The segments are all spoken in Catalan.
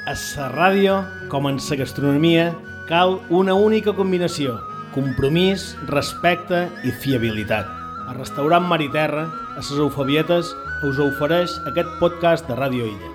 A la ràdio, com en la gastronomia, cal una única combinació: compromís, respecte i fiabilitat. El restaurant Mar i Terra, a les Eufebietes, us ofereix aquest podcast de Ràdio Illa.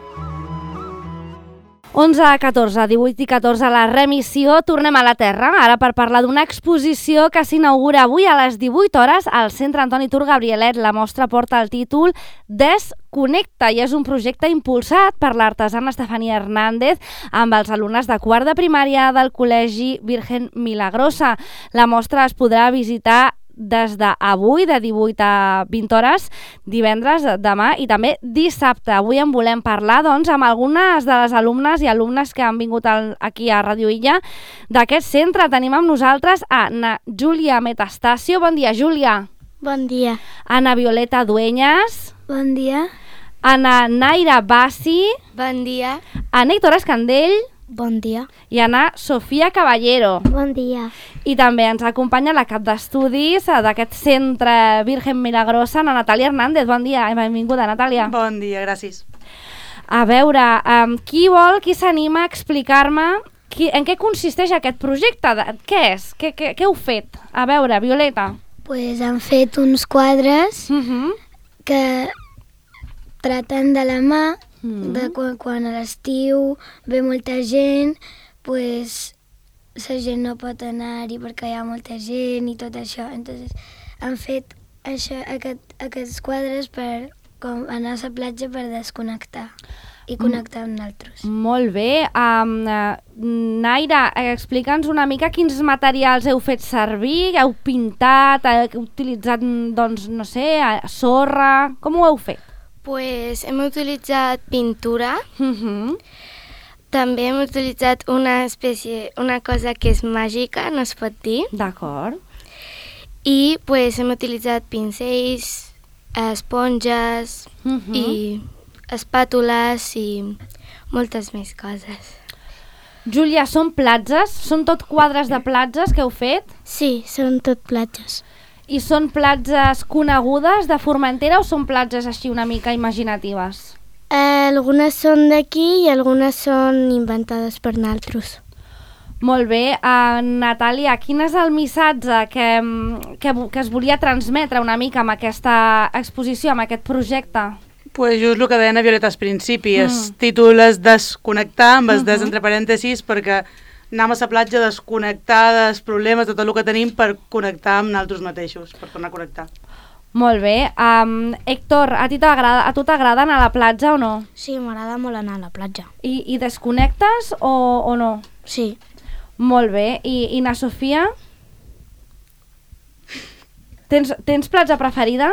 11 a 14, 18 i 14 a la remissió, tornem a la Terra, ara per parlar d'una exposició que s'inaugura avui a les 18 hores al Centre Antoni Tur Gabrielet. La mostra porta el títol Desconnecta i és un projecte impulsat per l'artesana Estefania Hernández amb els alumnes de quart de primària del Col·legi Virgen Milagrosa. La mostra es podrà visitar des d'avui, de 18 a 20 hores, divendres, demà i també dissabte. Avui en volem parlar, doncs, amb algunes de les alumnes i alumnes que han vingut aquí a Ràdio Illa d'aquest centre. Tenim amb nosaltres a Júlia Metastasio. Bon dia, Júlia. Bon dia. Ana Violeta Dueñas. Bon dia. Ana Naira Bassi. Bon dia. Ana Héctor Escandell. Bon dia. I Ana Sofia Caballero. Bon dia. I també ens acompanya la cap d'estudis d'aquest centre Virgen Milagrosa, Ana Natàlia Hernández. Bon dia i benvinguda, Natàlia. Bon dia, gràcies. A veure, qui s'anima a explicar-me en què consisteix aquest projecte? Què és? Què heu fet? A veure, Violeta. Pues han fet uns quadres que traten de la mà, de quan a l'estiu ve molta gent, pues la gent no pot anar-hi perquè hi ha molta gent i tot això. Entonces han fet aquests quadres per anar a la platja per desconnectar i connectar amb nosaltres. Molt bé. Naira, explica'ns una mica quins materials heu fet servir, heu pintat, heu utilitzat, doncs, no sé, sorra... Com ho heu fet? Pues hem utilitzat pintura, també hem utilitzat una cosa que és màgica, no es pot dir. D'acord. I pues hem utilitzat pincells, esponges i espàtules i moltes més coses. Júlia, són platges? Són tot quadres de platges que heu fet? Sí, són tot platges. I són platges conegudes de Formentera o són platges així una mica imaginatives? Algunes són d'aquí i algunes són inventades per nosaltres. Molt bé. Natàlia, quin és el missatge que es volia transmetre una mica amb aquesta exposició, amb aquest projecte? Pues just el que deia Violeta al principi, el títol és desconnectar, amb el des entre parèntesis, perquè anem a la platja a desconnectar dels problemes, de tot el que tenim, per connectar amb nosaltres mateixos, per tornar a connectar. Molt bé. Héctor, a tu t'agrada anar a la platja o no? Sí, m'agrada molt anar a la platja. I desconnectes o no? Sí. Molt bé. I na Sofia? Tens platja preferida?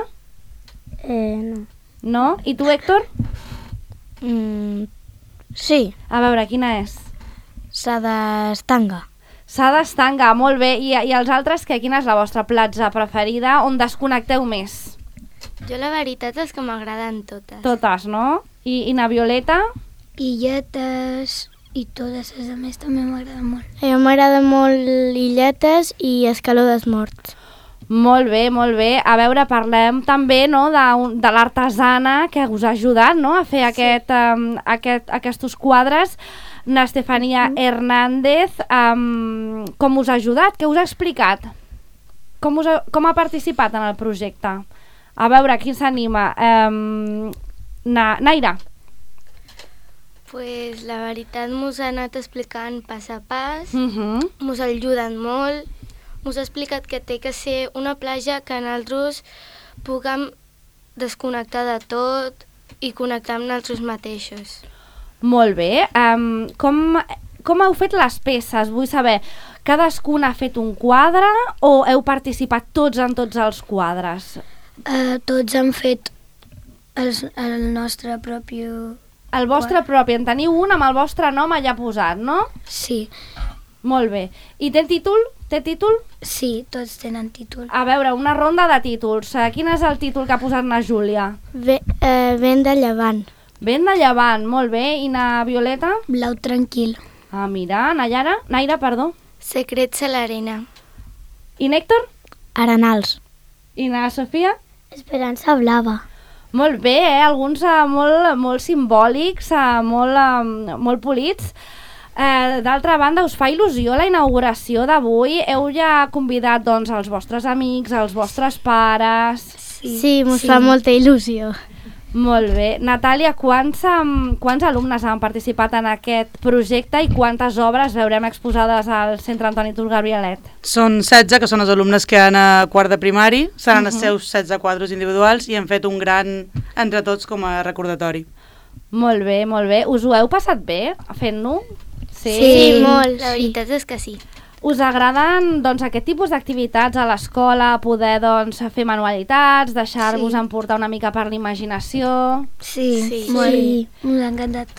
No. No? I tu, Héctor? Sí. A veure, quina és? S'ha d'estanga. S'ha d'estanga, molt bé. I els altres, quina és la vostra platja preferida on desconnecteu més? Jo la veritat és que m'agraden totes. Totes, no? I na Violeta? Illetes i totes les altres també m'agraden molt. A mi m'agrada molt Illetes i Escaló dels Morts. Molt bé, molt bé. A veure, parlem també, no, de l'artesana que us ha ajudat, no, a fer aquests quadres. Estefania Hernández, com us ha ajudat? Què us ha explicat? Com ha participat en el projecte? A veure, qui s'anima? Naira. Pues la veritat mos ha anat explicant pas a pas, mos ha ajudat molt, mos ha explicat que té que ser una platja que nosaltres puguem desconnectar de tot i connectar amb nosaltres mateixos. Molt bé. Com heu fet les peces? Vull saber, cadascun ha fet un quadre o heu participat tots en tots els quadres? Tots han fet el nostre propi... El vostre propi. En teniu un amb el vostre nom allà posat, no? Sí. Molt bé. I té títol? Té títol? Sí, tots tenen títol. A veure, una ronda de títols. Quin és el títol que ha posat na Júlia? Vent de llevant. Vent de llevant, molt bé. I na Violeta? Blau tranquil. Ah, mira, Naira, perdó. Secrets a l'arena. I Nèctor? Arenals. I na Sofia? Esperança blava. Molt bé, alguns molt simbòlics, molt polits. D'altra banda, us fa il·lusió la inauguració d'avui? Heu ja convidat doncs, els vostres amics, els vostres pares? Sí, mos fa molta il·lusió. Molt bé. Natàlia, quants alumnes han participat en aquest projecte i quantes obres veurem exposades al Centre Antoni Tur Gabrielet? Són 16, que són els alumnes que han a quart de primari, seran els seus 16 quadros individuals i hem fet un gran entre tots com a recordatori. Molt bé, molt bé. Us ho heu passat bé fent-ho? Sí, molt. La veritat és que sí. Us agraden doncs, aquest tipus d'activitats a l'escola, poder doncs, fer manualitats, deixar-vos emportar una mica per l'imaginació? Sí, molt. M'ha encantat.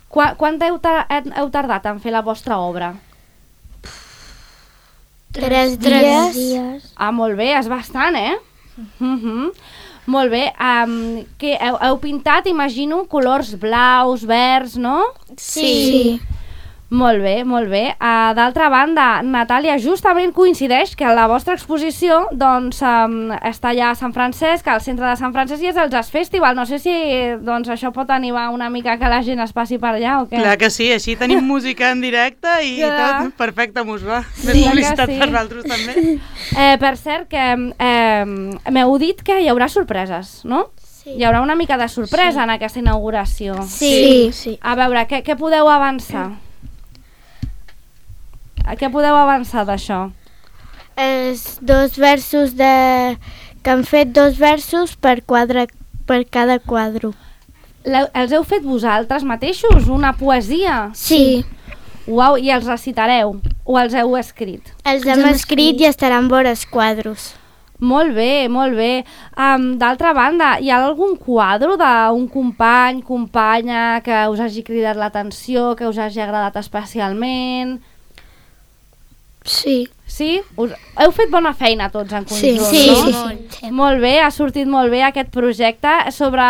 Quant heu tardat en fer la vostra obra? 3 dies. Ah, molt bé, és bastant, eh? Molt bé. Què, heu pintat, imagino, colors blaus, verds, no? Sí. Molt bé, molt bé. D'altra banda, Natàlia, justament coincideix que la vostra exposició doncs, està allà a Sant Francesc, al centre de Sant Francesc, i és el Jazz Festival. No sé si doncs, això pot animar una mica que la gent es passi per allà o què. Clar que sí, així tenim música en directe i tot. Perfecte, mos va. Més publicitat per nosaltres també. Per cert, que m'heu dit que hi haurà sorpreses, no? Sí. Hi haurà una mica de sorpresa en aquesta inauguració. Sí. A veure, què podeu avançar? Què podeu avançar d'això? Els 2 versos que han fet 2 versos per cada quadre. Els heu fet vosaltres mateixos? Una poesia? Sí. Uau, i els recitareu? O els heu escrit? Els hem escrit i estaran vores quadros. Molt bé, molt bé. D'altra banda, hi ha algun quadre d'un company, companya que us hagi cridat l'atenció, que us hagi agradat especialment? Sí. Sí? Heu fet bona feina tots en conjunt, no? Sí. Molt bé, ha sortit molt bé aquest projecte sobre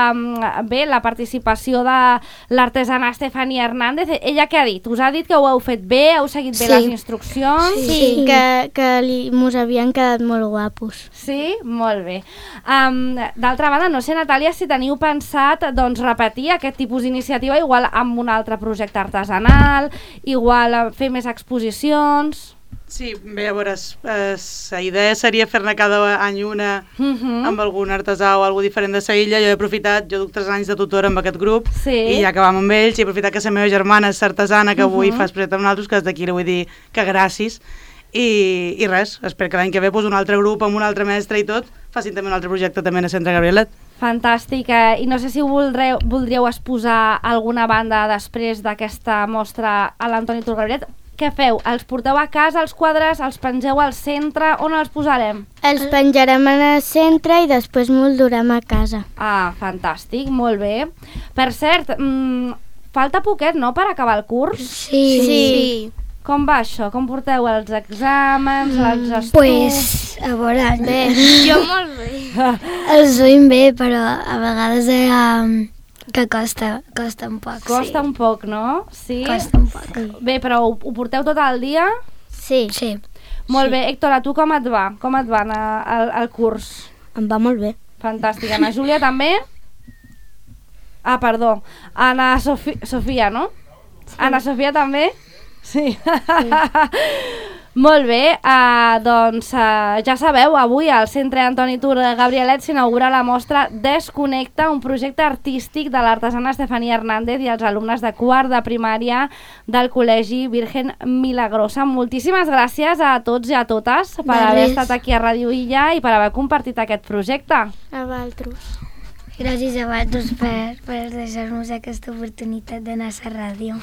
la participació de l'artesana Estefania Hernández. Ella què ha dit? Us ha dit que ho heu fet bé? Heu seguit bé les instruccions? Sí, que mos havien quedat molt guapos. Sí? Molt bé. D'altra banda, no sé, Natàlia, si teniu pensat doncs, repetir aquest tipus d'iniciativa igual amb un altre projecte artesanal, igual fer més exposicions... Sí, bé, a veure, la idea seria fer-ne cada any una amb algun artesà o alguna diferent de la illa. Jo he aprofitat, jo duc 3 anys de tutora amb aquest grup i ja que vam amb ells, i he aprofitat que la meva germana és artesana, que avui fa projecte amb nosaltres, que des d'aquí li vull dir que gràcies. I res, espero que l'any que ve un altre grup amb un altre mestre i tot facin també un altre projecte també a Centre Gabrielet. Fantàstic, i no sé si voldríeu exposar alguna banda després d'aquesta mostra a l'Antoni Tur Gabrielet. Què feu? Els porteu a casa, els quadres, els pengeu al centre, on els posarem? Els penjarem al centre i després me'ls durem a casa. Ah, fantàstic, molt bé. Per cert, falta poquet, no?, per acabar el curs? Sí. Com va això? Com porteu els exàmens, els estudis? Pues, a veure, Bé, jo molt bé. els duim bé, però a vegades que costa un poc. Costa un poc, no? Sí? Costa un poc. Bé, però ho porteu tot el dia? Sí. Molt bé. Héctor, a tu com et va? Com et va el curs? Em va molt bé. Fantàstic. Ana Júlia també? Ah, perdó. Ana Sofia, no? Sí. Ana Sofia també? Sí. Molt bé, doncs ja sabeu, avui al Centre Antoni Tur Gabrielet s'inaugura la mostra Desconnecta, un projecte artístic de l'artesana Estefania Hernández i els alumnes de quart de primària del Col·legi Virgen Milagrosa. Moltíssimes gràcies a tots i a totes per haver estat aquí a Ràdio Illa i per haver compartit aquest projecte. A vosaltres. Gràcies a vosaltres per deixar-nos aquesta oportunitat d'anar a la ràdio.